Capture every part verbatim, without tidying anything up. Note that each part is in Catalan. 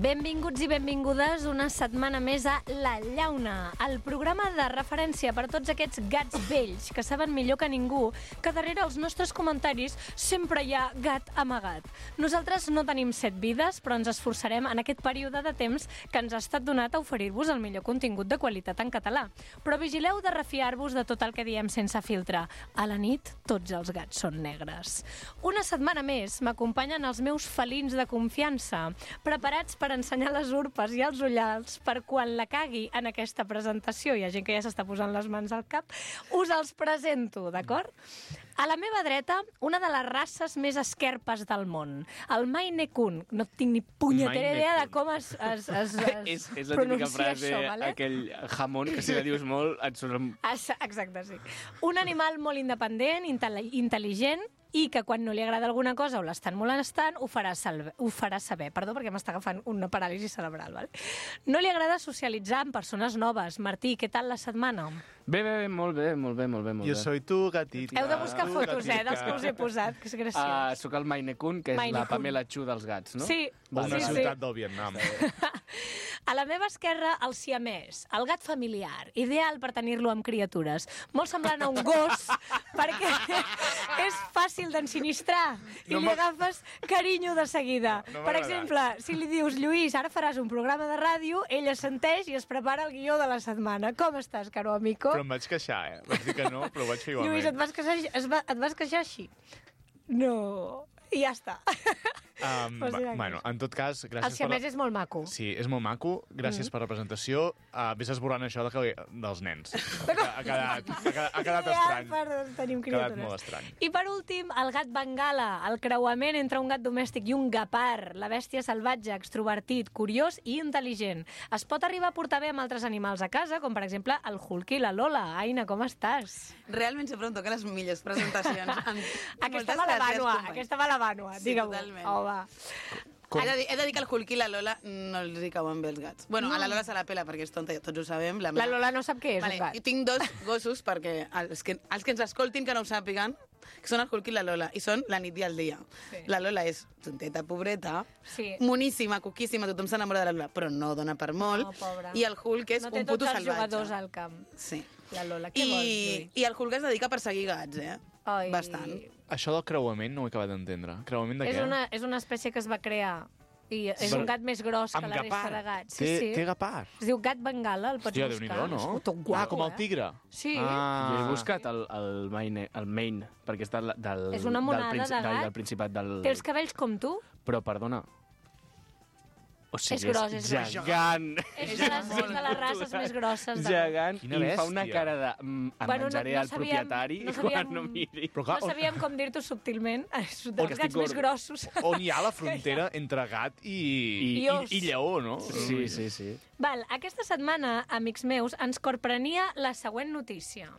Benvinguts i benvingudes una setmana més a La Llauna, el programa de referència per a tots aquests gats vells que saben millor que ningú que darrere els nostres comentaris sempre hi ha gat amagat. Nosaltres no tenim set vides, però ens esforçarem en aquest període de temps que ens ha estat donat a oferir-vos el millor contingut de qualitat en català. Però vigileu de refiar-vos de tot el que diem sense filtre. A la nit, tots els gats són negres. Una setmana més m'acompanyen els meus felins de confiança, preparats per ensenyar les urpes i els ullals per quan la cagui en aquesta presentació. Hi ha gent que ja s'està posant les mans al cap. Us els presento, d'acord? A la meva dreta, una de les races més esquerpes del món, el Maine Coon. No tinc ni punyetera idea de com es, es, es, es és, és la típica frase, això, vale? aquell jamón que si la dius molt et surt... Exacte, sí. Un animal molt independent, intel·ligent, i que quan no li agrada alguna cosa o l'estan molestant, ho farà, salve, ho farà saber. Perdó, perquè m'està agafant una paràlisi cerebral. Vale? No li agrada socialitzar amb persones noves. Martí, què tal la setmana? Bé, bé, bé, molt bé, molt bé, molt bé. Molt Jo bé. soy tu, gatita. Heu de buscar fotos, eh, dels que us he posat, que és graciós. Uh, soc el Maine Coon, que és Maine la Coon. Pamela Chu dels gats, no? Sí, Una sí, ciutat sí. del Vietnam. A la meva esquerra, el siamès, el gat familiar, ideal per tenir-lo amb criatures. Molt semblant a un gos, perquè és fàcil d'ensinistrar i No li m'ha- agafes carinyo de seguida. No, no per m'ha exemple, si li dius, Lluís, ara faràs un programa de ràdio, ell assenteix i es prepara el guió de la setmana. Com estàs, caro amico? Però em vaig queixar, eh? Vaig dir que no, però ho vaig fer igualment. Lluís, et vas queixar, es va, et vas queixar així? No. I ja està. Um, Pues mira, bueno, en tot cas, El gràcies per... siamès és molt maco. Sí, és molt maco. Gràcies mm. per la presentació. Uh, vés esborrant això de que... dels nens. Ha, ha, quedat, ha, quedat, ha quedat estrany. Ja, per, tenim Ha quedat criatures. molt estrany. I per últim, el gat bengala, el creuament entre un gat domèstic i un gapar, la bèstia salvatge, extrovertit, curiós i intel·ligent. Es pot arribar a portar bé amb altres animals a casa, com per exemple el Hulk i la Lola. Aina, com estàs? Realment sempre em toquen les millors presentacions. Amb... Aquesta Moltes va la gràcies, vànua, company. aquesta va la vànua, Sí, digue-m'ho. totalment. Oh, va. Com? He de, dir, he de dir que el Hulk i la Lola no els hi cauen bé els gats. Bueno, a la Lola se la pela perquè és tonta, ja tots ho sabem. La, La meva- Lola no sap què és vale, un gat. I tinc dos gossos perquè els que, els que ens escoltin que no ho sàpiguen, que són el Hulk i la Lola, i són la nit i el dia. Sí. La Lola és tonteta, pobreta, Sí. moníssima, coquíssima, tothom s'enamora de la Lola, però no dona per molt. No, pobra. I el Hulk és No té un puto tots els salvatge. jugadors al camp. Sí. La Lola, què I, vols, Lluís? I el Hulk es dedica a perseguir gats, eh? Ai. Bastant. Això del creuament no ho he acabat d'entendre. Creuament de És què? una, és una espècie que es va crear i és Però- un gat més gros que Amb la resta gapar. de gats. Sí, Té, sí. té gapar. Es diu gat bengala, el pots Hòstia, buscar. Déu-n'hi-do, no? És tot guapo, ah, com el eh? tigre. Sí. Ah. Jo he buscat el, el, Maine, el Maine, perquè està del, És una monada del, de gat. del Principat del... Té els cabells com tu? Però, perdona... O sigui, És gros, és gros. gegant. És de les, és de les races més grosses. De... Gegant. Quina I fa una bèstia. cara de... Mm, em Bueno, no- menjaré no el sabíem- propietari no sabíem- quan no miri. Però clar, No sabíem com dir-t'ho subtilment. Els que gats estic més gordo. grossos. on hi ha la frontera entre gat i, i, I i, os. i lleó, no? Sí, sí, sí. Val, aquesta setmana, amics meus, ens corprenia la següent notícia.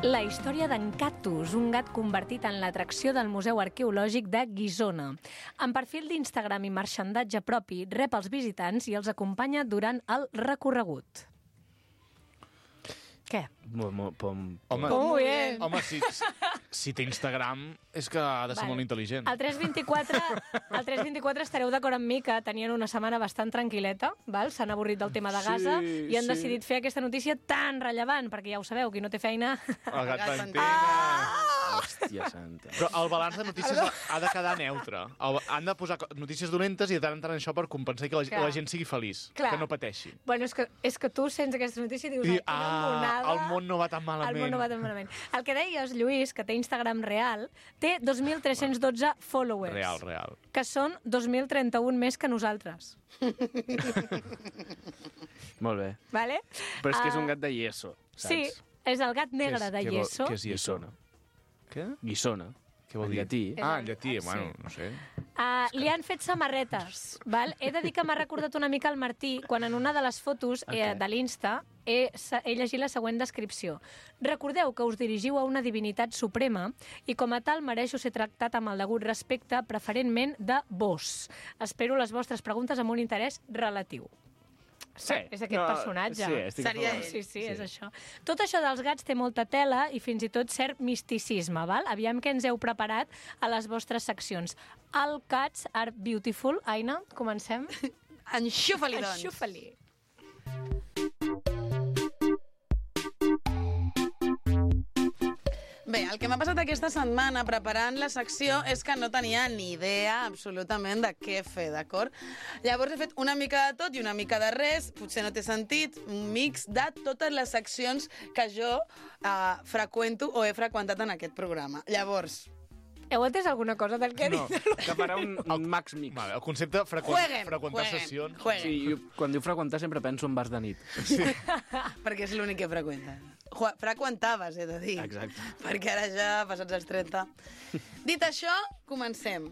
La història d'en Cactus, un gat convertit en l'atracció del Museu Arqueològic de Guissona. Amb perfil d'Instagram i marxandatge propi, rep els visitants i els acompanya durant el recorregut. Què? Molt, molt, pom, Home, Com ho és? home si, si té Instagram és que ha de ser Vale. molt intel·ligent. El tres vint-i-quatre, el tres vint-i-quatre estareu d'acord amb mi que tenien una setmana bastant tranquil·leta, val? S'han avorrit del tema de Sí, Gaza i han sí. decidit fer aquesta notícia tan rellevant, perquè ja ho sabeu, qui no té feina... El gat gat pantera. Hòstia santa. Però el balanç de notícies ha de quedar neutre. El, han de posar co- notícies dolentes i de tant en tant això per compensar que la, Clar. la gent sigui feliç, Clar. que no pateixi. Bueno, és que, és que tu sents aquesta notícia i dius... I, "Ai, quina ah, monada". el món no va tan malament. El món no va tan malament. El que deies, Lluís, que té Instagram real, té dos mil tres-cents dotze followers. Real, real. Que són dos mil trenta-un més que nosaltres. Molt bé. Vale? Però és que és Ah, un gat de yeso, saps? Sí, és el gat negre Què és- de què vol- yeso. què és yeso? Guissona. Què? Guissona. Què vol En dir? llatí. Ah, en És el- llatí, sí. bueno, no sé. Uh, li han fet samarretes, val? He de dir que m'ha recordat una mica el Martí quan en una de les fotos eh, Ok. de l'Insta he, he llegit la següent descripció. Recordeu que us dirigiu a una divinitat suprema i com a tal mereixo ser tractat amb el degut respecte, preferentment de vos. Espero les vostres preguntes amb un interès relatiu. Sí. És aquest No, personatge. sí, estic a Seria favor. ell. Sí, sí, és això. Tot això dels gats té molta tela i fins i tot cert misticisme, val? Aviam què ens heu preparat a les vostres seccions. All cats are beautiful. Aina, comencem? Enxufa-li, doncs. Enxufa-li. Bé, el que m'ha passat aquesta setmana preparant la secció és que no tenia ni idea absolutament de què fer, d'acord? Llavors he fet una mica de tot i una mica de res, potser no té sentit, un mix de totes les seccions que jo eh, freqüento o he freqüentat en aquest programa. Llavors, Heu entès alguna cosa del que he No, dit? que farà un, un max mix. Vale, el concepte freqüent, jueguen, freqüentar jueguen, sessions. jueguen. Sí, jo, quan diu freqüentar sempre penso en bars de nit. Perquè és l'únic que freqüenta. Ju- Freqüentaves, he de dir. Exacte. Perquè ara ja, passats els trenta. Dit això, comencem.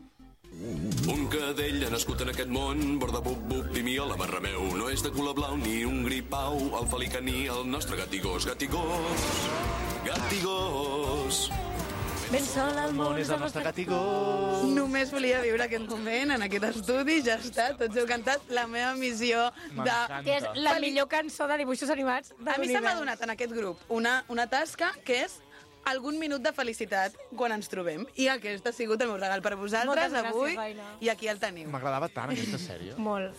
Un cadell ha nascut en aquest món, borda bup bup, pimiola, barra meu. No és de color blau ni un gripau, el felicaní, el nostre gatigós, gatigós, gatigós. Ben sol al món És el nostre gatigó. Només volia viure aquest moment en aquest estudi, ja està, tots heu cantat la meva missió de... M'encanta. Que és la Feli- millor cançó de dibuixos animats de A mi se m'ha l'univers. donat en aquest grup una, una tasca que és algun minut de felicitat quan ens trobem. I aquest ha sigut el meu regal per vosaltres Moltes gràcies, avui, Aina. i aquí el teniu. M'agradava tant aquesta sèrie. Molt.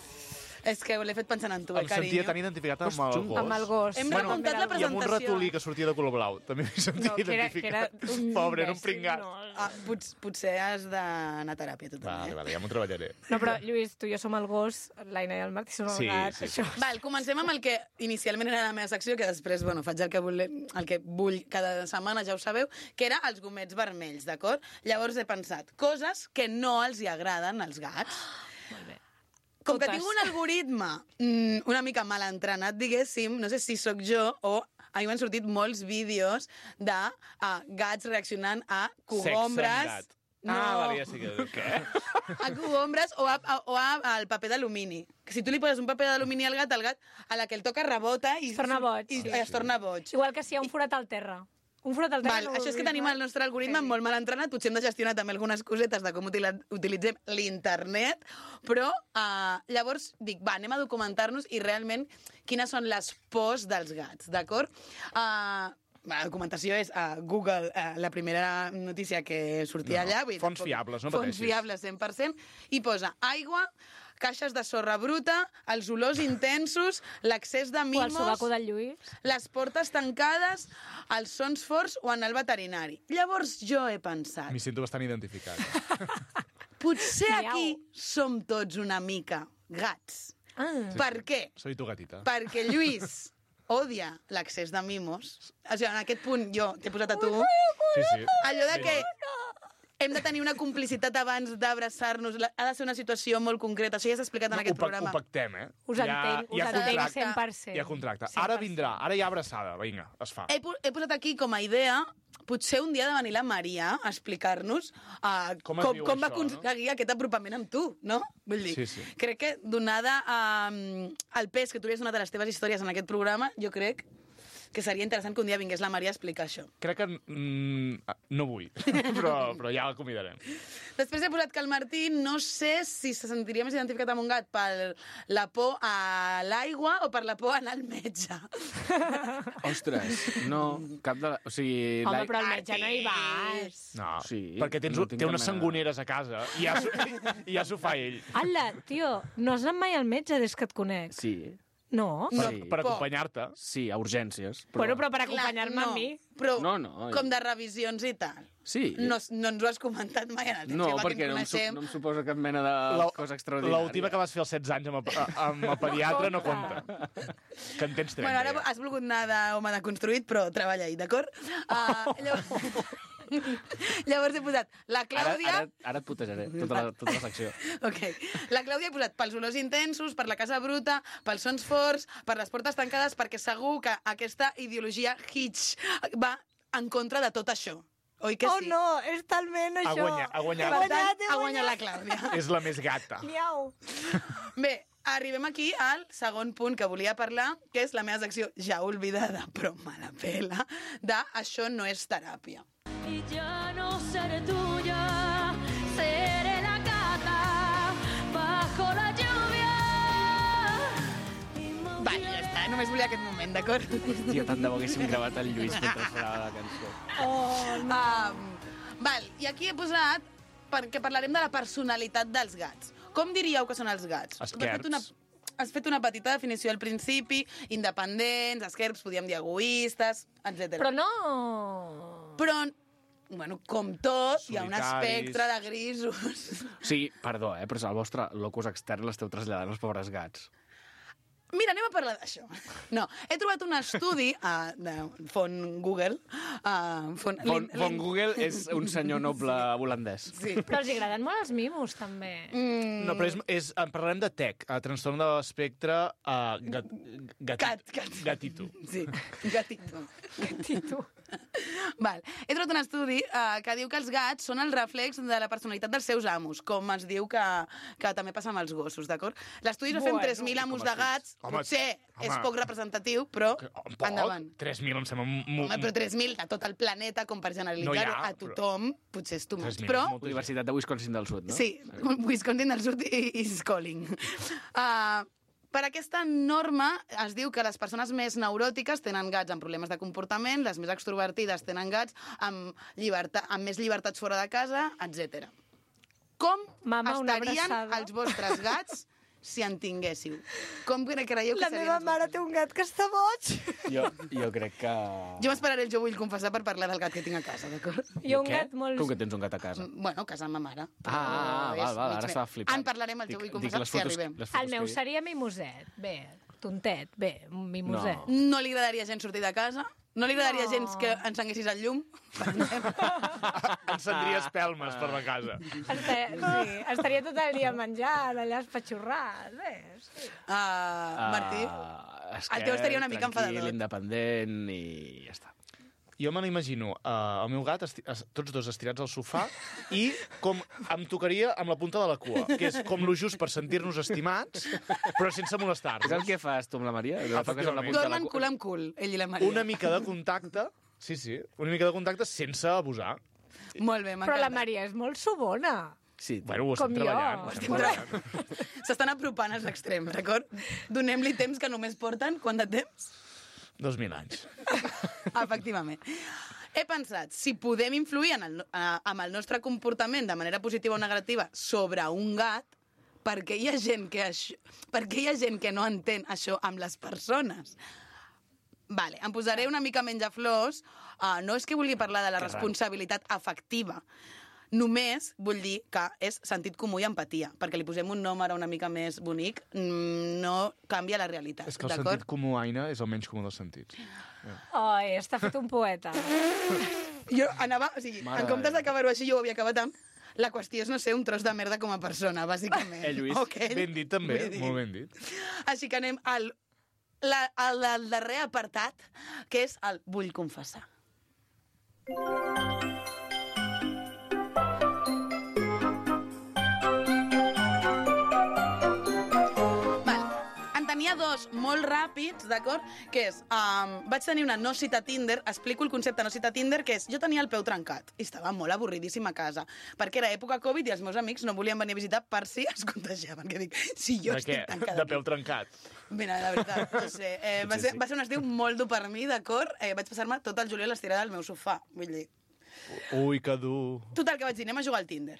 És que l'he fet pensant en tu, eh, Em sentia carinyo. tan identificat amb Pues, el gos. Amb el gos. Hem Bueno, remuntat la I amb un presentació. ratolí que sortia de color blau. També m'he sentit No, que era, que era identificat. un Pobre, era un imbècil, pringat. no. Ah, pots, potser has d'anar a teràpia, tu també. Vale, eh? vale, ja m'ho treballaré. No, però, Lluís, tu i jo som el gos, l'Aina i el Martí som el Sí, gat. sí, sí. Això. Val, comencem amb el que inicialment era la meva secció, que després, bueno, faig el que, vull, el que vull cada setmana, ja ho sabeu, que era els gomets vermells, d'acord? Llavors he pensat, coses que no els hi agraden als gats. Molt bé. Com que Totes. tinc un algoritme mm, una mica mal entrenat, diguéssim, no sé si sóc jo o a mi m'han sortit molts vídeos de uh, gats reaccionant a cogombres. Sexe amb gat. Ah, vale, ja sé que... Què? A cogombres o, a, a, o a, al paper d'alumini. Que si tu li poses un paper d'alumini al gat, el gat a la que el toca rebota i Es torna boig. I, Sí, i es torna boig. Igual que si hi ha un forat al terra. Un forat al terra... Val, no això és que vulguis tenim mai. el nostre algoritme Sí. molt mal entrenat, potser hem de gestionar també algunes cosetes de com utila- utilitzem l'internet, però uh, llavors dic, va, anem a documentar-nos i realment quines són les pors dels gats, d'acord? Uh, la documentació és a uh, Google, uh, la primera notícia que sortia No, allà. Vull dir, fonts tampoc- fiables, no Fonts pateixis. fiables, cent per cent, i posa aigua, caixes de sorra bruta, els olors intensos, l'accés de O el mimos... sobaco del Lluís. Les portes tancades, els sons forts o anar al veterinari. Llavors jo he pensat, M'hi sento bastant identificat. potser Miau. aquí som tots una mica gats. Ah. Per què? Soy tu gatita. Perquè Lluís odia l'accés de mimos. O sigui, en aquest punt jo t'he posat a tu Sí, sí. allò de que hem de tenir una complicitat abans d'abraçar-nos. La- Ha de ser una situació molt concreta. Això ja s'ha explicat en aquest ho, pac- programa. ho pactem, eh? Us entenc, us hi ha entenc contracte. cent per cent. Hi ha contracte. cent per Ara cent. vindrà, ara hi ha abraçada. Vinga, es fa. He, po- he posat aquí com a idea potser un dia de venir la Maria a explicar-nos uh, Com com, es com, viu com va això, aconseguir aquest apropament amb tu, no? Vull dir, Sí, sí. crec que donada um, el pes que tu li has donat a les teves històries en aquest programa, jo crec que seria interessant que un dia vingués la Maria a explicar això. Crec que mm, no vull, però, però ja la convidarem. Després he posat que el Martí no sé si se sentiria més identificat amb un gat per la por a l'aigua o per la por a anar al metge. Ostres, no, cap de... La... O sigui... Home, la- però al metge no hi vas. No, Sí, perquè tens, no no tinc té cap unes mena de- sangoneres a casa i ja s'ho i ja s'ho fa ell. Ala, tio, no has anat mai al metge des que et conec? Sí, No? Per, Sí. per acompanyar-te. sí, a urgències. Però... Bueno, però per Clar, acompanyar-me no, a mi... Però No, no. com de revisions i tal. Sí. No, no ens ho has comentat mai en el No, Xema, que perquè ens no em, su coneixem. no em suposa cap mena de La- cosa extraordinària. L'última que vas fer als setze anys amb el, amb el pediatre no compta. Que en tens trenta. Bueno, ara ja. has volgut anar d'home deconstruït, però treballa ahí, d'acord? Uh, llavors... llavors he posat la Ara, Clàudia... ara, ara et putejaré, tota la, tota la secció. Ok. La Clàudia he posat pels olors intensos, per la casa bruta, pels sons forts, per les portes tancades, perquè segur que aquesta ideologia Hitch va en contra de tot això. Oi que Oh, sí? no, és talment Ha això. guanyat, ha guanyat. Per tant, guanyat, he ha guanyat la guanyat. Clàudia. És la més gata. Miau. Bé, arribem aquí al segon punt que volia parlar, que és la meva secció ja oblidada, però me la pela, de Això no és teràpia. Y ya no seré tuya, seré la gata bajo la lluvia. només volia aquest moment, d'acord? Hòstia, tant de bo haguéssim gravat el Lluís mentre sonava la cançó. Oh, no. Um, val, i aquí he posat perquè parlarem de la personalitat dels gats. Com diríeu que són els gats? Esquerps. Has fet una, has fet una petita definició al principi, independents, esquerps, podíem dir egoistes, etcètera. Però no... Però, bueno, com tot, hi ha un Solitaris. espectre de grisos. Sí, perdó, eh, però és el vostre locus extern l'esteu traslladant als pobres gats. Mira, anem a parlar d'això. No, he trobat un estudi uh, de font Google. Uh, font, Von, von Google és un senyor noble holandès. Sí. Però els agraden molt els mimos, també. Mm, No, però és, és, en parlarem de T E C, a trastorn de l'espectre uh, gat, gat, Gat, gat. gatito. Sí, gatito. Gatito. Val. He trobat un estudi uh, que diu que els gats són el reflex de la personalitat dels seus amos, com es diu que, que també passa amb els gossos, d'acord? L'estudi es va fer amb Bueno, tres mil amos com de els gats. Home, Potser home. és poc representatiu, però Un poc? endavant. tres mil em sembla... mo- Home, però tres mil de tot el planeta, com per generalitzar No hi ha, a tothom, potser és too much. tres mil Però, és molta Universitat de Wisconsin del Sud, no? sí, Wisconsin del Sud i- is calling. Uh, per aquesta norma es diu que les persones més neuròtiques tenen gats amb problemes de comportament, les més extrovertides tenen gats amb, llibertat, amb més llibertats fora de casa, etcètera. Com Mama, una estarien abraçada. els vostres gats si en tinguéssiu? Com cre- creieu que La serien meva els mare vostres? té un gat que està boig. Jo, jo crec que... Jo m'esperaré el Jo vull confessar per parlar del gat que tinc a casa, d'acord? I un Què? gat molt... Com que tens un gat a casa? Bueno, a casa amb ma mare. Ah, ah, Però val, és val, mig ara bé. estava flipant. En parlarem al Jo vull Dic- dic confessar les si fotos- arribem. les fotos El meu que hi- seria mimoset. Bé, tontet, bé, un mimoset. No. No li agradaria gens sortir de casa? No li agradaria No. gens que encenguessis el llum? Encendria espelmes per la casa. Estaria, sí, estaria tot el dia menjant, allà espatxorrat. Bé, sí. Uh, Martí? Ah, és El que teu estaria una mica tranquil, enfadador. independent i ja està. Jo me l'imagino, uh, el meu gat, esti es- tots dos estirats al sofà, i com em tocaria amb la punta de la cua, que és com lo just per sentir-nos estimats, però sense És el molestar-nos. que fas tu amb la Maria? La toques amb la punta de la Dormen cua? cul amb cul, ell i la Maria. Una mica de contacte, sí, sí, una mica de contacte sense abusar. Molt bé, Però m'encanta. la Maria és molt sobona. Sí, Bueno, ho Com estem jo. treballant. ho estem treballant. S'estan apropant als extrems, d'acord? Donem-li temps que només porten. Quant de temps? Dos mil anys. Efectivament. He pensat, si podem influir en el, eh, amb el nostre comportament de manera positiva o negativa sobre un gat, perquè hi ha gent que, això, perquè hi ha gent que no entén això amb les persones. Vale, em posaré una mica menys a flors. Uh, no és que vulgui parlar de la Que raro. responsabilitat afectiva. Només vull dir que és sentit comú i empatia, perquè li posem un nom ara una mica més bonic, mm, no canvia la realitat, És que el d'acord? sentit comú, Aina, és el menys comú dels sentits. Ai, està fet un poeta. Jo anava, o sigui, Mare en comptes de Déu. d'acabar-ho així, jo ho havia acabat amb la qüestió és no ser un tros de merda com a persona, bàsicament. Eh, Lluís? Okay? Ben dit, també, Vull dir. molt ben dit. Així que anem al, la, al, al darrer apartat, que és el vull confessar. Val. En tenia dos molt ràpids, d'acord? Que és, um, vaig tenir una no cita Tinder, explico el concepte no cita Tinder, que és, jo tenia el peu trencat i estava molt avorridíssima a casa, perquè era època Covid i els meus amics no volien venir a visitar per si es contagiaven. Que dic, si jo De estic què? tancada De aquí. peu trencat. Mira, la veritat, no sé. Eh, va, Potser ser, sí. va ser un estiu molt dur per mi, d'acord? Eh, vaig passar-me tot el juliol estirada al meu sofà, vull dir. Ui, que dur. Total, que vaig dir, anem a jugar al Tinder.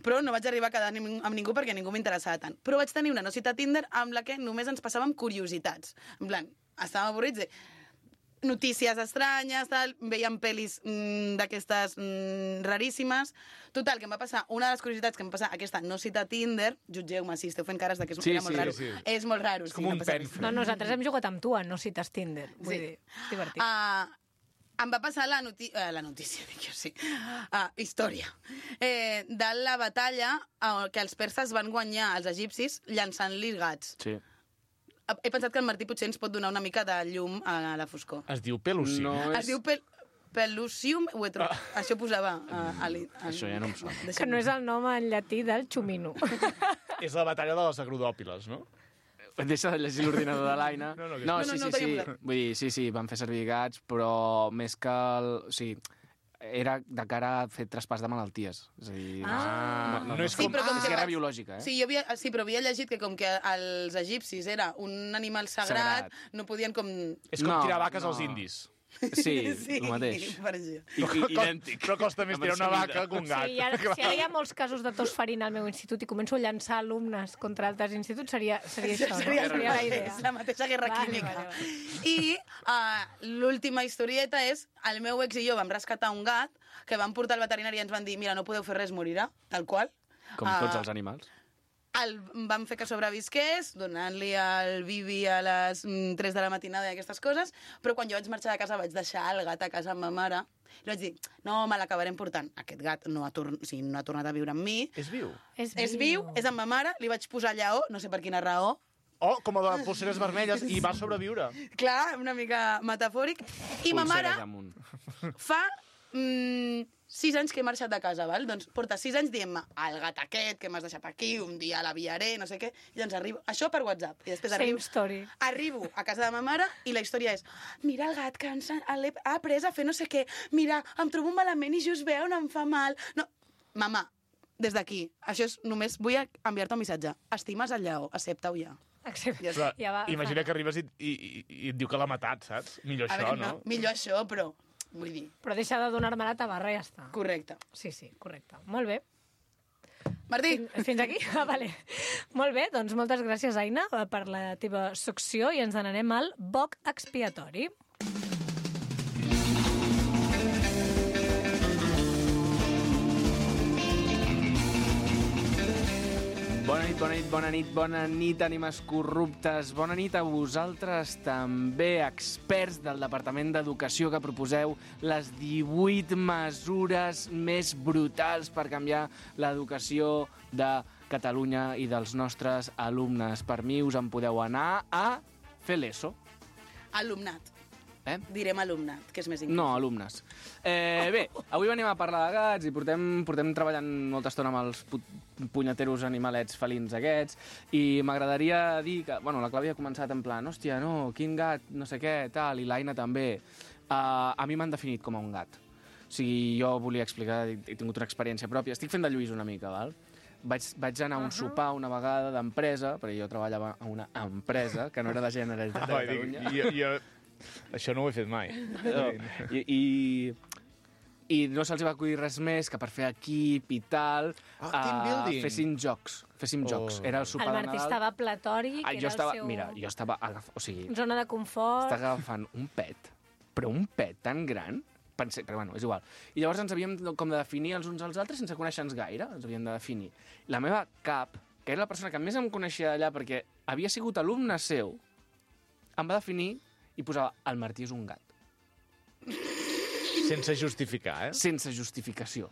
Però no vaig arribar a quedar ni- amb ningú perquè ningú m'interessava tant. Però vaig tenir una no cita Tinder amb la que només ens passàvem curiositats. En plan, estàvem avorrits de notícies estranyes, tal, veiem pel·lis mm, d'aquestes mm, raríssimes. Total, que em va passar, una de les curiositats que em va passar aquesta no cita Tinder, jutgeu-me si esteu fent cares de que és, Sí, era molt sí, raro. sí. És molt raro. És sí, com no un passa res. pen. No, nosaltres hem jugat amb tu a no cites Tinder. Vull Sí. dir, és divertit. Uh, em va passar la, noti uh, la notícia, dic jo, sí, uh, història, eh, de la batalla uh, que els perses van guanyar als egipcis llançant-li gats. Sí. He pensat que el Martí potser ens pot donar una mica de llum a la foscor. Es diu peluci. No Es és... diu pel Pelusium, ho he trobat. Ah. Això posava uh, a l'in- a- Això ja no em sona. Que no és el nom en llatí del xumino. És la batalla de les agrodòpiles, no? Deixa de llegir l'ordinador de l'Aina. No, no, que- no, No, no, sí, no, sí, tenia sí. posat. Vull dir, sí, sí, van fer servir gats, però més que el... O sigui, era de cara a fer traspàs de malalties. És a dir, Ah. no, no, No és no, com- és però com que guerra vaig- biològica, eh? Sí, jo havia, sí, però havia llegit que com que els egipcis era un animal sagrat, Sagrat. no podien com... És com No, tirar vaques no. als indis. Sí, el mateix. per això. I, i, idèntic. Però costa més Amb tirar una ensemble. vaca que un gat. Sí, ara, si ara hi ha molts casos de tos farina al meu institut i començo a llançar alumnes contra altres instituts, seria, seria això, no? Seria, seria la idea. és la mateixa guerra Vale, química. vale, vale. I uh, l'última historieta és el meu ex i jo vam rescatar un gat que vam portar al veterinari i ens van dir mira, no podeu fer res, morirà, tal qual. Com Ah, tots els animals. El vam fer que sobrevisqués, donant-li el bibi a les mm, tres de la matinada i aquestes coses, però quan jo vaig marxar de casa vaig deixar el gat a casa amb ma mare i vaig dir, no, me l'acabarem portant. Aquest gat no ha, tor o sigui, no ha tornat a viure amb mi. És viu. És, És viu, és amb ma mare, li vaig posar lleó, no sé per quina raó. Oh, com a de polseres vermelles, i va sobreviure. Clar, una mica metafòric. I ma mare Pulseres amunt. fa mm, sis anys que he marxat de casa, val? Doncs porta sis anys dient-me el gat aquest que m'has deixat aquí, un dia l'aviaré, no sé què, i doncs arribo... Això per WhatsApp. I després Same arribo, story. arribo a casa de ma mare i la història és mira el gat que ens ha, l'he- ha après a fer no sé què, mira, em trobo malament i just veu, no em fa mal. No, mama, des d'aquí, això és només vull enviar-te un missatge. Estimes el lleó, accepta-ho ja. Accepta. Ja Però, Ja va, imagina que arribes i, i, i, i et diu que l'ha matat, saps? Millor A això, veure, no? no, millor això, però vull dir, Però deixa de donar-me la tabarra i ja està. correcte. Sí, sí, correcte. Molt bé. Martí, Fins, fins aquí? Ah, vale. Molt bé, doncs moltes gràcies, Aina, per la teva secció i ens n'anem al boc expiatori. Bona nit, bona nit, bona nit, bona nit, ànimes corruptes. Bona nit a vosaltres també, experts del Departament d'Educació, que proposeu les divuit mesures més brutals per canviar l'educació de Catalunya i dels nostres alumnes. Per mi us en podeu anar a fer l'ESO. alumnat. Eh? Direm alumnat, que és més inclusiu. No, alumnes. Eh, bé, avui venim a parlar de gats i portem, portem treballant molta estona amb els pu punyeteros animalets felins aquests i m'agradaria dir que, bueno, la Clàudia ha començat en plan, hòstia, no, quin gat, no sé què, tal, i l'Aina també. Uh, a mi m'han definit com a un gat. O sigui, jo volia explicar, he, he tingut una experiència pròpia. Estic fent de Lluís una mica, val? Vaig, vaig anar a un uh -huh. sopar una vegada d'empresa, perquè jo treballava a una empresa, que no era de Generalitat de Ah, dic, Catalunya. jo, jo, això no ho he fet mai. No. I, i, I no se'ls va acudir res més que per fer equip i tal, Ah, team building. fessin jocs. Féssim Oh. jocs. Era el El sopar de Martí Nadal. estava platòric, Ah, era jo estava, el seu mira, jo estava agaf... o sigui, zona de confort. estava agafant un pet, però un pet tan gran, pensé, però bueno, és igual. I llavors ens havíem com de definir els uns als altres sense conèixer-nos gaire, ens havíem de definir. La meva cap, que era la persona que més em coneixia d'allà perquè havia sigut alumne seu, em va definir i posava, el Martí és un gat. Sense justificar, eh? Sense justificació.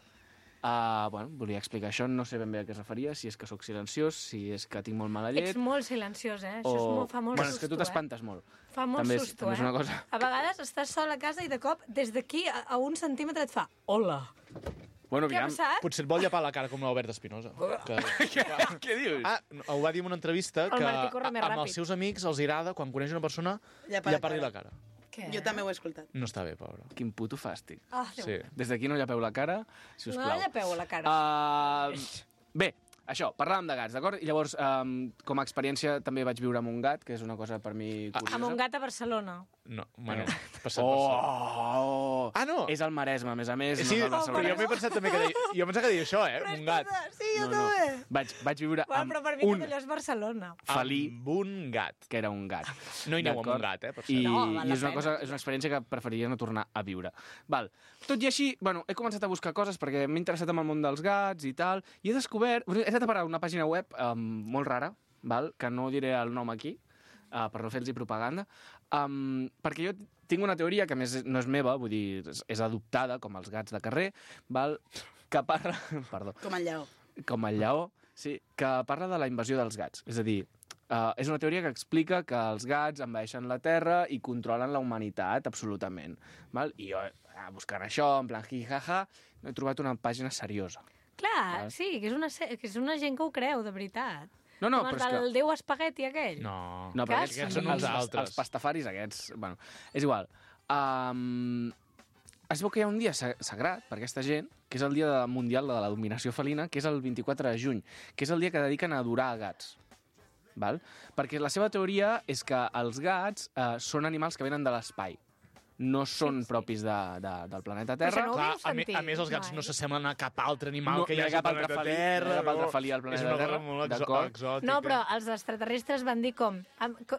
Uh, bueno, volia explicar això, no sé ben bé a què es referia, si és que sóc silenciós, si és que tinc molt mala llet... Ets molt silenciós, eh? Això és molt, fa molt bueno, susto, és que tu t'espantes eh? molt. Fa molt també és, susto, també eh? és una cosa... A vegades estàs sol a casa i de cop, des d'aquí a, a un centímetre et fa hola. Bueno, Què ha aviam... passat? Potser et vol llepar la cara com l'Albert Espinosa. Que... Què dius? Ah, ho va dir en una entrevista El que Martí corre més amb ràpid. els seus amics els agrada, quan coneix una persona, Llepar la llepar-li cara. la cara. Què? Jo també ho he escoltat. No està bé, pobre. Quin puto fàstic. Ah, Déu. Sí. Des d'aquí no llepeu la cara, si us No plau. llepeu a la cara. Uh, bé, això, parlàvem de gats, d'acord? I llavors, um, com a experiència, també vaig viure amb un gat, que és una cosa per mi curiosa. Amb un gat a Barcelona. No, bueno, passat Oh, per oh, Ah, no? És el Maresme, a més a més. Sí, no és el però Barcelona. jo m'he pensat també que deia... Jo pensava que deia això, eh? Un gat. Sí, jo No, no. també. Vaig, vaig viure Bueno, amb però per mi un tot allò és Barcelona. felí Amb un gat. que era un gat. No hi aneu amb D'acord? un gat, eh, per cert. I, No, val i la és una, pena. cosa, és una experiència que preferiria no tornar a viure. Val. Tot i així, bueno, he començat a buscar coses perquè m'he interessat en el món dels gats i tal, i he descobert... He estat a parar una pàgina web um, molt rara, val? Que no diré el nom aquí, uh, per no fer-los propaganda, um, perquè jo tinc una teoria que a més no és meva, vull dir, és, és adoptada, com els gats de carrer, val? Que parla... Perdó. Com el lleó. Com el lleó, sí, que parla de la invasió dels gats. És a dir, uh, és una teoria que explica que els gats envaeixen la Terra i controlen la humanitat, absolutament. Val? I jo, uh, buscant això, en plan jijaja, no he trobat una pàgina seriosa. Clar, Val. sí, que és, una, se- que és una gent que ho creu, de veritat. No, no, Com però els és que... del Déu espagueti aquell. No. No, però Que aquests, sí. són uns els, els, altres. els pastafaris aquests... Bueno, és igual. Um, es veu que hi ha un dia sagrat per aquesta gent, que és el Dia Mundial de la Dominació Felina, que és el vint-i-quatre de juny, que és el dia que dediquen a adorar gats. Val? Perquè la seva teoria és que els gats eh, són animals que venen de l'espai. No són sí, sí. propis de, de, del planeta Terra. No Clar, a, me, a més, els gats mai. no s'assemblen a cap altre animal no, que hi hagi al planeta felí, Terra. No hi ha cap altre felí al planeta Terra. És una cosa molt exò exòtica. No, però els extraterrestres van dir com,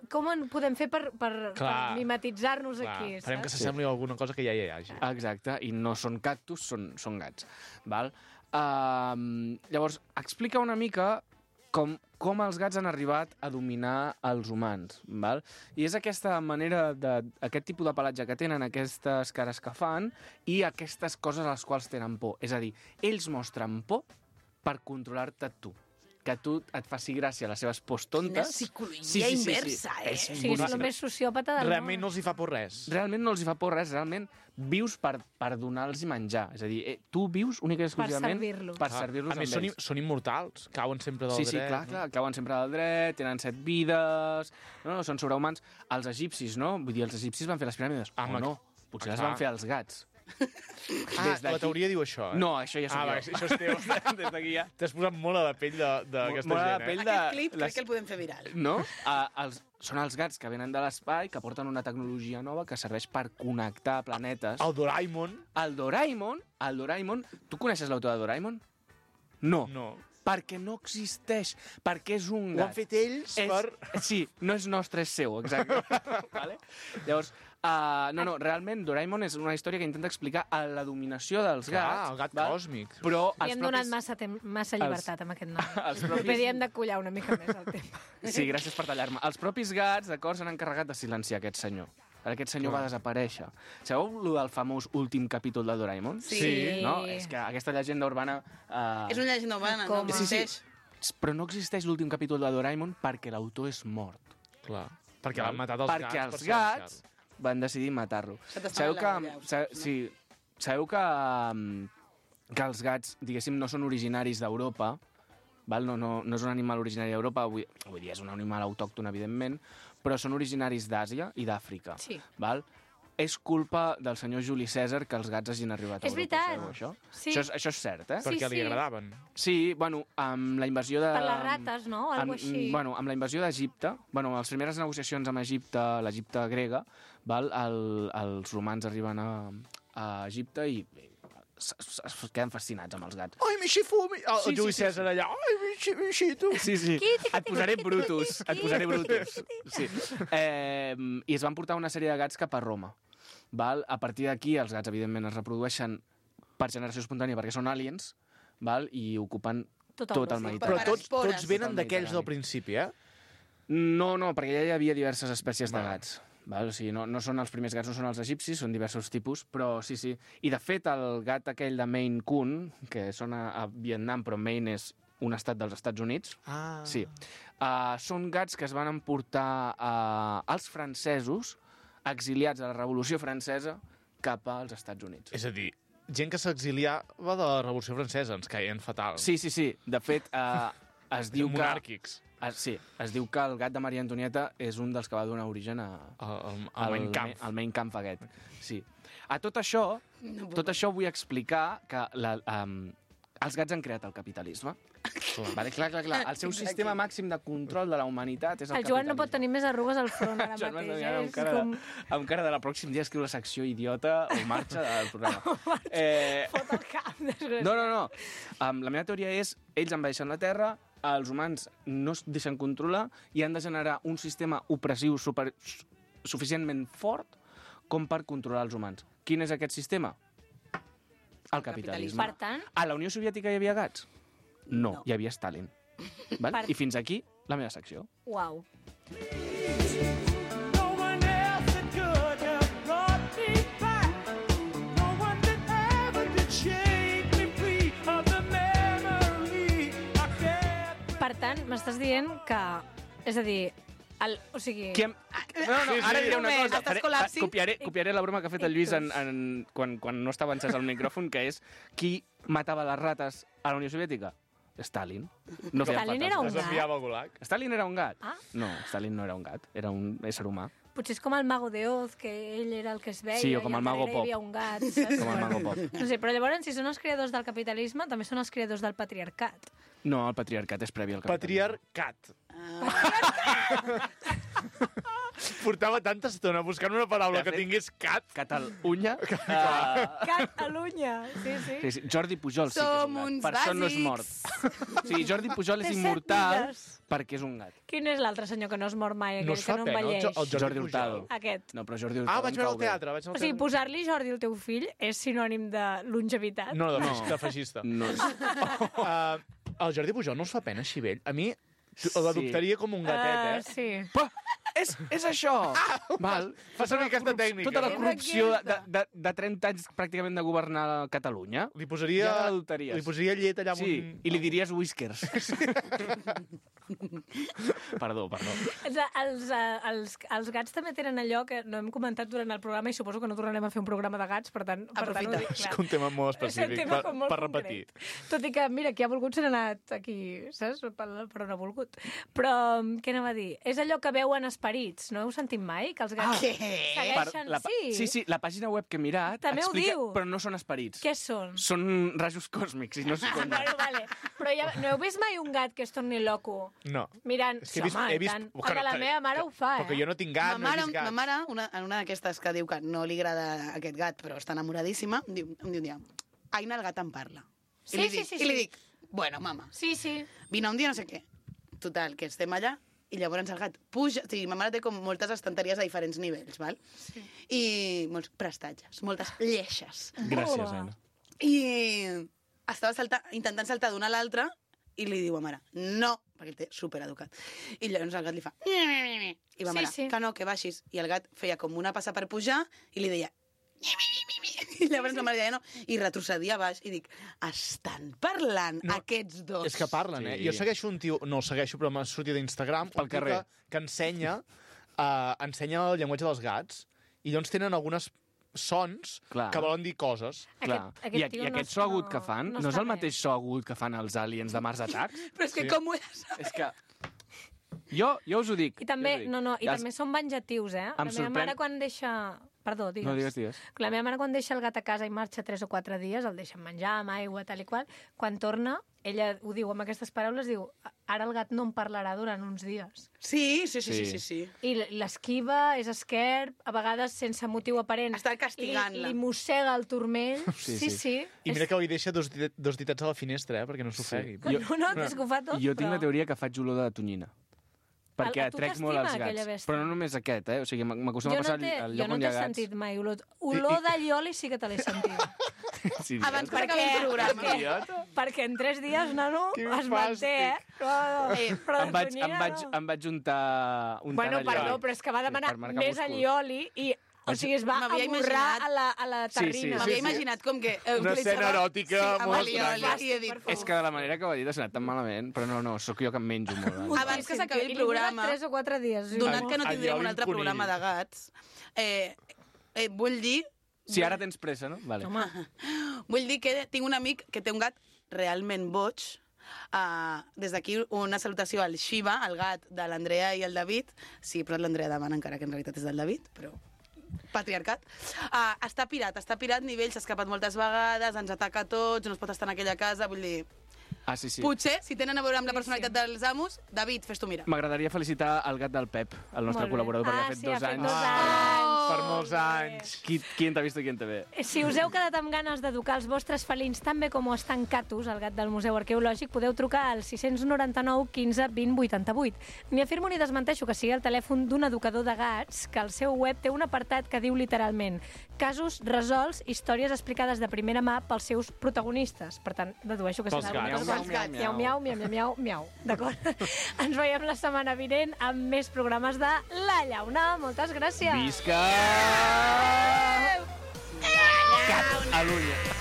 com en podem fer per, per, per mimetitzar-nos aquí. Farem que saps? s'assembli a alguna cosa que ja hi hagi. Exacte, i no són cactus, són, són gats. Val? Uh, llavors, explica una mica com, com els gats han arribat a dominar els humans, val? I és aquesta manera, de, aquest tipus de pelatge que tenen, aquestes cares que fan, i aquestes coses a les quals tenen por. És a dir, ells mostren por per controlar-te tu. Que a tu et faci gràcia les seves pors tontes. Quina psicologia sí, sí, sí, inversa, sí. eh? És O sigui, és el més sociòpata del Realment món. no els hi fa por res. Realment no els hi fa por res, realment vius per, per donar-los menjar. És a dir, eh, tu vius únicament i exclusivament servir-los. per Ah, servir-los a més, amb són, ells. són immortals, cauen sempre del Sí, dret. sí, clar, clar, cauen sempre del dret, tenen set vides, no, no, són sobrehumans. Els egipcis, no? Vull dir, els egipcis van fer les piràmides. Ah, o ma- no, potser les clar. van fer els gats. Ah, Des d'aquí- la teoria diu això, eh? No, això ja soc Ah, jo. va, això és teu. Des d'aquí ja. T'has posat molt a la pell de- d'aquesta Molt a la gent, pell eh? de- Aquest clip les- crec que el podem fer viral. No? Uh, els, són els gats que venen de l'espai, que porten una tecnologia nova que serveix per connectar planetes. El Doraemon? El Doraemon, el Doraemon... Tu coneixes l'autor de Doraemon? No. No. Perquè no existeix, perquè és un Ho gat. han fet ells és, per... Sí, no és nostre, és seu, exacte. vale? Llavors, uh, no, no, realment Doraemon és una història que intenta explicar la dominació dels Clar, gats. el gat val? còsmic. Però Li els hem donat propis... massa, temps, massa llibertat amb aquest nom. els propis- Propis... hem de collar una mica més el tema. Sí, gràcies per tallar-me. Els propis gats, d'acord, s'han encarregat de silenciar aquest senyor. Aquest senyor Clar. va desaparèixer. Sabeu lo del famós últim capítol de Doraemon? Sí. Sí. No? És que aquesta llegenda urbana... Uh... És una llegenda urbana, no Com? Sí, sí. existeix. Però no existeix l'últim capítol de Doraemon perquè l'autor és mort. Clar. Perquè Val? l'han matat els perquè gats. els per gats silenciar-lo. van decidir matar-lo. Se t'està Sabeu anant que, la olla, ho sa, saps, no? sí, sabeu que, um, que els gats, diguéssim, no són originaris d'Europa, val? No, no, no és un animal originari d'Europa, vull, vull dir, és un animal autòcton, evidentment, però són originaris d'Àsia i d'Àfrica. Sí. Val? És culpa del senyor Juli Cèsar que els gats hagin arribat a És Europa. veritat. Sabeu això? Sí. Això, és, això és cert, eh? Sí, Perquè li sí. agradaven. Sí, bueno, amb la invasió de... Per les rates, no? Algo amb, així. Bueno, amb la invasió d'Egipte, bueno, amb les primeres negociacions amb Egipte, l'Egipte grega, val, el, els romans arriben a, a Egipte i es, es, es queden fascinats amb els gats. Ai, mi xifumi! El, Sí, el Juli sí, sí, Cèsar allà. Ai, mi xi- mi xito! Sí, sí. Quiti, Et posaré quiti, Brutus. quiti, Et posaré Brutus. Sí. Eh, I es van portar una sèrie de gats cap a Roma. Val? A partir d'aquí, els gats, evidentment, es reprodueixen per generació espontània perquè són aliens, val? I ocupen Tot tot, el el món. Mediterrani. Però tots, espores. tots venen Tot el d'aquells del Mediterrani. principi, eh? No, no, perquè ja hi havia diverses espècies de Val. gats. Val? O sigui, no, no són els primers gats, no són els egipcis, són diversos tipus, però sí, sí. I, de fet, el gat aquell de Maine Coon, que són a, a Vietnam, però Maine és un estat dels Estats Units, Ah. sí. Uh, són gats que es van emportar uh, als francesos, exiliats a la Revolució Francesa, cap als Estats Units. És a dir, gent que s'exiliava de la Revolució Francesa, ens caien fatal. Sí, sí, sí. De fet, uh, es diu que... Monàrquics. Es, sí, es diu que el gat de Maria Antonieta és un dels que va donar origen a, El, el, el Mein Kampf. El Mein Kampf aquest, sí. A tot això, No puc. tot això vull explicar que la, um, els gats han creat el capitalisme. Vale, clar, clar, clar. El seu sistema màxim de control de la humanitat és el, El Joan no pot capitalisme. tenir més arrugues al front ara Joan mateix. Massanyà, Eh? amb És cara, com... de, amb cara de la pròxim dia escriu la secció idiota o marxa del programa. eh, Fot el cap, desgraciat. no, no, no. Um, la meva teoria és, ells envaeixen la Terra, els humans no es deixen controlar i han de generar un sistema opressiu super, suficientment fort com per controlar els humans. Quin és aquest sistema? El capitalisme. Per tant, A la Unió Soviètica hi havia gats? No, No. hi havia Stalin. Val? Per- I fins aquí la meva secció. uau. No one else that could have brought me back. No one that ever did shake me free of the memory I kept. Per tant, m'estàs dient que... És a dir, el, o sigui... Qui em... No, no, Sí, sí. ara diré una Moment, cosa. estàs Faré- col·lapsi? Copiaré, copiaré la broma que ha fet el Lluís en, en, quan, quan no estava encès el micròfon, que és qui matava les rates a la Unió Soviètica? Stalin. No feien Stalin falta era els un gats. Es enviava al gulag. Stalin era un gat? Ah. No, Stalin no era un gat, era un ésser humà. Potser és com el Mago de Oz, que ell era el que es veia, Sí, o com i el al Mago darrere Pop. hi havia un gat, saps? Com el Mago Pop. No sé, però llavors, si són els creadors del capitalisme, també són els creadors del patriarcat. No, el patriarcat és previ al capitalisme. Patriarcat. Ah. Portava tanta estona buscant una paraula De que fet- tingués cat. Catalunya. Uh, Catalunya, sí, sí. sí, sí. Jordi Pujol sí que és Som un gat. uns Per això no és mort. bàsics. Sí, Jordi Pujol és Té set immortal vides. perquè és un gat. Quin és l'altre senyor que no es mor mai, aquell No es que fa no pena, el envelleix? Jo- el Jordi Jordi Hurtado. Pujol. Aquest. No, però Jordi Hurtado Ah, vaig em veure cau al bé. teatre. Vaig anar O al sigui, teatre. posar-li Jordi al teu fill és sinònim de longevitat. No, de, No. no. de feixista. No. Uh, el Jordi Pujol no us fa pena així vell? A mi Sí. l'adoptaria com un gatet, eh? Uh, sí. Pa, és, és això! Val. Fa servir aquesta tècnica. Tota la És corrupció de, aquesta. de, de trenta anys pràcticament de governar Catalunya. Li posaria, Ja l'adoptaries. li posaria llet allà amb Sí, un... i li diries whiskers. Perdó, perdó. Els, els, eh, els, els gats també tenen allò que no hem comentat durant el programa i suposo que no tornarem a fer un programa de gats, per tant, per tant Aprofita. ho dic, És clar. que un tema molt És un específic tema per, com molt per concret. repetir. Tot i que, mira, qui ha volgut se n'ha anat aquí, saps? Per, per on ha volgut. Però, què anava a dir? És allò que veuen esperits, no heu sentit mai? Que els gats Què? segueixen... la, pa- sí. sí, sí, la pàgina web que he mirat També ho explica, diu. però no són esperits. Què són? Són rajos còsmics i no s'ho compten. Bueno, vale. Però ja, no heu vist mai un gat que es torni loco? No. Mirant, És que he sí, vist- home, he i vist- tant. que El de la no- meva mare ho fa, eh? Perquè jo no tinc gat, Ma no he mare, vist ma gats. mare una, en una d'aquestes que diu que no li agrada aquest gat, però està enamoradíssima, em diu, em diu un dia, Aina, el gat em parla. Sí, I li sí, dic, sí, I li sí. dic, bueno, mama, Sí, sí. vine un dia no sé què. Total, que estem allà i llavors el gat puja... O sigui, ma mare té com moltes estanteries a diferents nivells, val? Sí. I molts prestatges, moltes lleixes. Gràcies, Aina. I estava salta, intentant saltar d'una a l'altra i li diu a mare, no, perquè el té supereducat. I llavors el gat li fa... I va Sí, mare, sí. que no, que baixis. I el gat feia com una passa per pujar i li deia... I llavors la mare deia no, i retrocedia a baix. I dic, estan parlant No, aquests dos? És que parlen, eh? Sí. Jo segueixo un tio... No el segueixo, però m'ha sortit d'Instagram. Pel un tio carrer. Que, que ensenya, uh, ensenya el llenguatge dels gats i llavors tenen algunes sons Clar. que volen dir coses. Clar. Aquest- aquest I, tio I no aquest es- so agut no- que fan, no no, és està el bé. mateix so agut que fan els aliens de Mars Attacks? Però és que Sí. com ho he de saber? És que... Jo, jo us ho dic. I també, jo us ho dic. no, no, i Els- també són venjatius, eh? La Em meva sorprèn- mare quan deixa... Perdó, digues. No, digues, digues. La meva mare quan deixa el gat a casa i marxa tres o quatre dies, el deixa amb menjar, amb aigua, tal i qual, quan torna, ella ho diu amb aquestes paraules, diu, ara el gat no em parlarà durant uns dies. Sí, sí, sí, sí, Sí. sí, sí. I l'esquiva, és esquerp, a vegades sense motiu aparent. Està castigant-la. Li, li mossega el turmell. Sí, Sí, sí. sí. I mira És- que avui deixa dos, dit dos ditets a la finestra, eh? Perquè no s'ofegui. No, no, és que ho fa tot, Jo tinc però... la teoria que faig olor de tonyina. Perquè A- a tu atrec molt t'estima els aquella gats. bèstia? Però no només aquest, eh? O sigui, m- m'acostuma Jo a passar no t'he al jo lloc no on hi t'he ha gats. sentit mai olor. Olor d'allioli sí que te l'he sentit. Sí, Abans idiota. que acabi el programa. perquè, perquè en tres dies, nano, Quin es manté, eh? No, no, Eh, però em, vaig, de tonyina, em, vaig, no. em vaig juntar un Bueno, tant perdó, però és que va demanar per marcar més músculs. allioli i... O sigui, es va M'havia amorrar imaginat- a la, a la Sí, sí, terrina. M'havia sí. imaginat com que... eh, Una utilitzava- escena eròtica sí, amb molt alioli, estranya. i he dit, Per favor. És que de la manera que ho ha dit ha sonat tan malament, però no, no, sóc jo que em menjo molt. Abans que s'acabi el I li dura programa, tres o quatre dies. sí. donat que no Allioli tindrem un altre conill. programa de gats, eh, eh, vull dir Si ara tens pressa, no? Vale. Home, Vull dir que tinc un amic que té un gat realment boig. Uh, des d'aquí una salutació al Shiva, el gat de l'Andrea i el David. Sí, però l'Andrea demana encara que en realitat és del David, però patriarcat. Uh, està pirat, està pirat, nivell, s'ha escapat moltes vegades, ens ataca a tots, no es pot estar en aquella casa, vull dir... Ah, sí, sí. Potser, si tenen a veure amb la Sí, personalitat dels amos, David, fes-t'ho mirar. M'agradaria felicitar el gat del Pep, el nostre Molt bé. col·laborador, perquè Ah, ha fet sí, dos ha fet anys. dos Ah, anys. per molts anys. Qui, qui en t'ha vist i qui en té bé? Si us heu quedat amb ganes d'educar els vostres felins tan bé com ho està en Catus, el gat del Museu Arqueològic, podeu trucar al sis nou nou quinze vint vuitanta-vuit. Ni afirmo ni desmenteixo que sigui el telèfon d'un educador de gats, que al seu web té un apartat que diu literalment casos resolts, històries explicades de primera mà pels seus protagonistes. Per tant, dedueixo que Pels serà gats. algun dels Miau, gats. miau, Miau, miau, miau, miau, miau. D'acord? Ens veiem la setmana vinent amb més programes de La Llauna. Moltes gràcies. Visca! Catalunya!